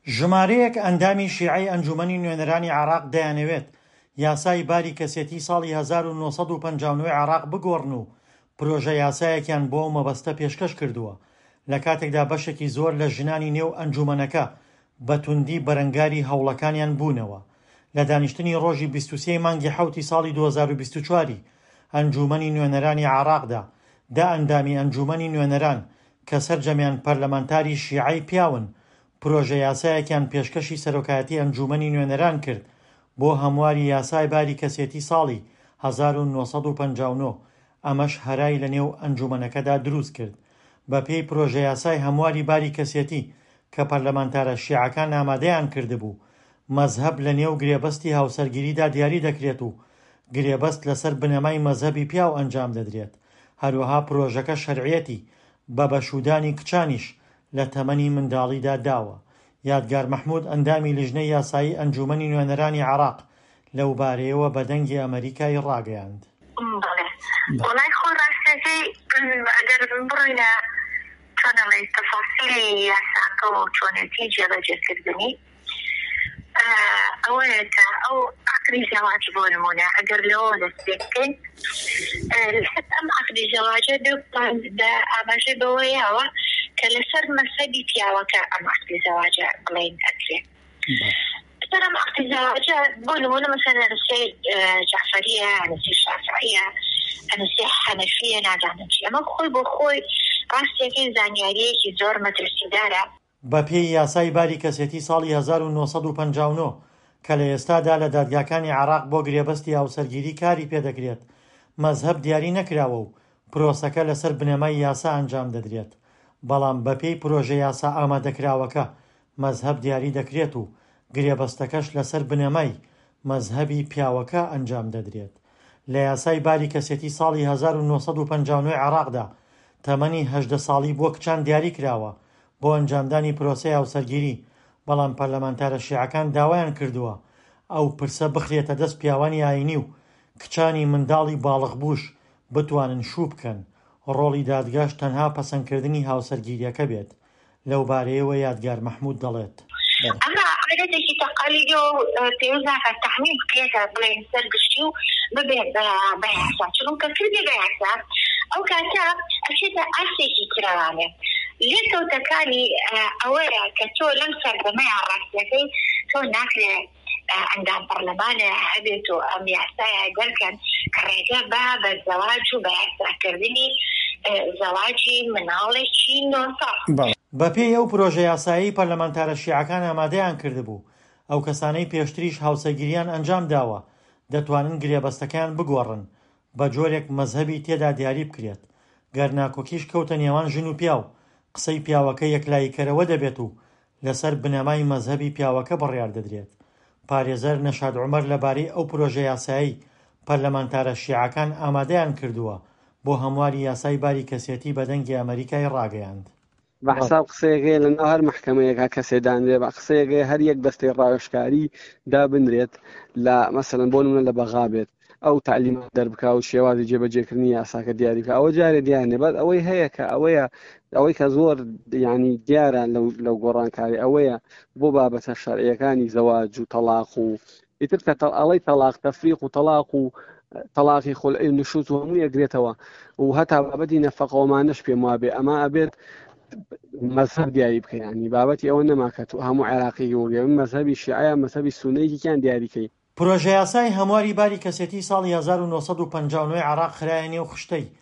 ژمارەیەک ئەندامی شیعەی ئەنجوومەنی نوێنەرانی عێراق دەیانەوێت یاسای باری کەسێتی ساڵی 1959 عێراق بگۆڕن و پرۆژە یاسایەکیان بۆ ئەو مەبەستە پێشکەش کردووە، لە کاتێکدا بەشێکی زۆر لە ژنانی نێو ئەنجوومەنەکە بە توندی بەرەنگاری هەوڵەکانیان بوونەوە. لە دانیشتنی ڕۆژی 23 ی مانگی حەوتی ساڵی 2024 ی ئەنجوومەنی نوێنەرانی عێراقدا، دە ئەندامی ئەنجوومەنی نوێنەران کە سەرجەمیان پەرلەمانتاری شیعەی پیاون، پرۆژەیاسایەکیان پێشکەشی سەرۆکایەتی ئەنجوومەنی نوێنەران کرد بۆ هەمواری یاسای باری کەسێتی ساڵی 1959، ئەمەش هەرای لەنێو ئەنجوومەنەکەدا دروستکرد. بەپێی پرۆژەیاسای هەمواری باری کەسێتی کە پەرلەمانتارە شیعەکان ئامادەیان کردبوو، مەزهەب لەنێو گرێبەستی هاوسەرگیریدا دیاری دەکرێت و گرێبەست لەسەر بنەمای مەزهەبی پیاو ئەنجام دەدرێت، هەروەها پرۆژەکە شەرعیەتی بە بەشوودانی کچانیش لە تەمەنی منداڵیدا داوە. یادگار مەحمود ئەندامی لیژنەی یاسایی ئەنجوومەنی نوێنەرانی عێراق لەوبارەیەوە بە دەنگی ئەمەریکای ڕاگەیاند. بەڵێ وەڵای خۆ ڕاستەکەی ئەگەر بڕۆینە چۆن ئەڵێی تەفاسیلی یاساکە و چۆنێتی جێبەجێکردنی ئەوەیە کە ئەو عەقدی زەواج بۆ نمونە ئەگەر لەوە دەست پێ بکەین لەسەر ئەم عەقدی زەواجە بە ئاماژەی بەوە یاوە کە لەسەر مەسەبی پیاوەکە ئەم عەقدی زەواجە بڵێین ئەکرێ لەسەر ئەم عەقدی زەواجە بۆ نمونە مەسەلەن ئەنوسێ جەعفەریە ئەنوسێ شافعیە ئەنوسێ حەنەفیە نازانم چی ئەمە خۆی بۆ خۆی ڕاستیەکەی زانیاریەکی زۆر مەترسیدارە. بەپێی یاسای باری کەسێتی ساڵی 1959 کە لە ئێستادا لە دادگاکانی عێراق بۆ گرێبەستی هاوسەرگیری کاری پێدەکرێت، مەزهەب دیاری نەکراوە و پرۆسەکە لەسەر بنەمای یاسا ئەنجام دەدرێت، بەڵام بەپێی پرۆژە یاسا ئامادەکراوەکە مەزهەب دیاری دەکرێت و گرێبەستەکەش لەسەر بنەمای مەزهەبی پیاوەکە ئەنجام دەدرێت. لە یاسای باری کەسێتی ساڵی 1959 عێراقدا تەمەنی 18 ساڵی بۆ کچان دیاری کراوە بۆ ئەنجامدانی پرۆسەی هاوسەرگیری، بەڵام پەرلەمانتارە شیعەکان داوایان کردووە ئەو پرسە بخرێتە دەست پیاوانی ئایینی و کچانی منداڵی باڵغبووش بتوانن شوو بکەن، ڕۆڵی دادگاش تەنها پەسەندکردنی هاوسەرگیرییەکە بێت. لەوبارەیەوە یادگار مەحمود دەڵێت. ئەمە عادەتێکی تەقالیدیە و پێویست ناکات تەعمیم بکرێتە بڵێین سەر گشتی و ببێ بە یاسا، چونکە کردی بە یاسا ئەو کاتە ئەچێتە ئاستێکی ترەوانێ. لێکەوتەکانی ئەوەیە کە تۆ لەم سەردەمەیا ڕاستیەکەی تۆ ناکرێ ئەندام پەڕلەمانێ هەبێت و ئەم یاسایە دەرکەن کە ڕێگە بە بە زەواج و بە یاساکردنی زەواجی مناڵێکی نۆ ساڵ. بەپێی ئەو پرۆژە یاسایەی پەرلەمانتارە شیعەکان ئامادەیان کردبوو، ئەو کەسانەی پێشتریش هاوسەرگیریان ئەنجام داوە دەتوانن گرێبەستەکەیان بگۆڕن بە جۆرێک مەزهەبی تێدا دیاری بکرێت، گەر ناکۆکیش کەوتە نێوان ژن و پیاو، قسەی پیاوەکە یەکلاییکەرەوە دەبێت و لەسەر بنەمای مەزهەبی پیاوەکە بڕیار دەدرێت. پارێزەر نەشاد عومەر لەبارەی ئەو پرۆژە یاسایەی پەرلەمانتارە شیعەکان ئامادەیان کردووە بۆ هەمواری یاسای باری کەسێتی بە دەنگی ئەمەریکای ڕاگەیاند. بە حساب قسەیەک هەیە لەناو هەر مەحکەمەیەکا کەسێ دانرێ بە قسەیەک هەیە هەر یەک دەستەی ڕاوێژکاری دابنرێت لە مەسەلەن بۆ نمونە لە بەغا بێت ئەو تەعلیمات دەربکا و شێوازی جێبەجێکردنی یاساکە دیاری بکا ئەوە جارێ دیار نیە بەس ئەوەی هەیە کە ئەوەیە ئەوەی کە زۆر یعنی دیارە لەو لەو گۆڕانکاری ئەوەیە بۆ بابەتە شەرعیەکانی زەواج و تەلاق و ئیتر کە ئەڵەی تەلاق تەفریق و تەلاق و تەلاقی خولعی و نشوز و هەموو یەگرێتەوە و هەتا بابەتی نەفەقەوەمانەش پێم وابێ ئەمە ئەبێت مەزهەب دیاری بکە ینی بابەتی ئەوە نەما کە تو هەموو عێراقی وگە مەزهەبی شیعە مەزهەبی سونەیەکیان دیاریکەی پرۆژەیاسای هەمواری باری کەسێتیی ساڵی 1959 ی عێراق خرایە نێو خشتەی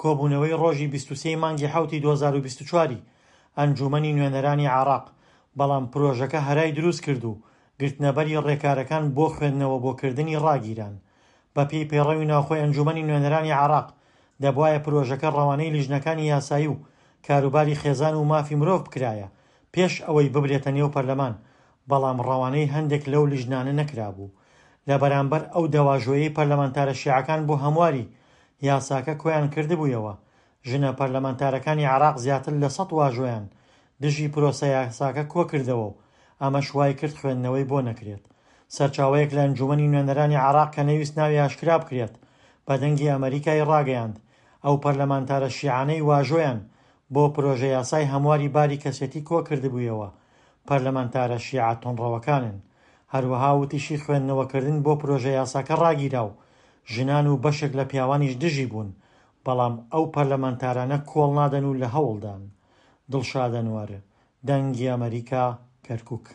کۆبوونەوەی ڕۆژی 23 ی مانگی حەوتی 2024 ی ئەنجوومەنی نوێنەرانی عێراق، بەڵام پرۆژەکە هەرای دروست کرد و گرتنەبەری ڕێکارەکان بۆ خوێندنەوە بۆ کردنی ڕاگیران. بەپێی پەیڕەوی ناوخۆی ئەنجوومەنی نوێنەرانی عێراق، دەبوایە پرۆژەکە ڕەوانەی لیژنەکانی یاسایی و کاروباری خێزان و مافی مرۆڤ بکرایە پێش ئەوەی ببرێتە نێو پەرلەمان، بەڵام ڕەوانەی هەندێک لەو لیژنانە نەکرابوو. لە بەرامبەر ئەو دەواژۆیەی پەرلەمانتارە شیعەکان بۆ هەمواری یاساکە کۆیان کردبوویەوە، ژنە پەرلەمانتارەکانی عێراق زیاتر لە سەد واژۆیان دژی پرۆسە یاساکە کۆکردەوە و ئەمەش وایکرد خوێندنەوەی بۆ نەکرێت. سەرچاوەیەک لە ئەنجوومەنی نوێنەرانی عێراق کە نەیویست ناوی ئاشکرا بکرێت، بە دەنگی ئەمەریکای ڕاگەیاند، ئەو پەرلەمانتارە شیعانەی واژۆیان بۆ پرۆژەیاسای هەمواری باری کەسێتی کۆکردبوویەوە، پەرلەمانتارە شیعە توندڕەوەکانن. هەروەها وتیشی خوێندنەوەکردن بۆ پرۆژە یاساکە ڕاگیرا و ژنان و بەشێک لە پیاوانیش دژی بوون، بەڵام ئەو پەرلەمانتارانە کۆڵ نادەن و لە هەوڵدان. دڵشاد ئەنوەر، دەنگی ئەمەریکا، کەرکوک.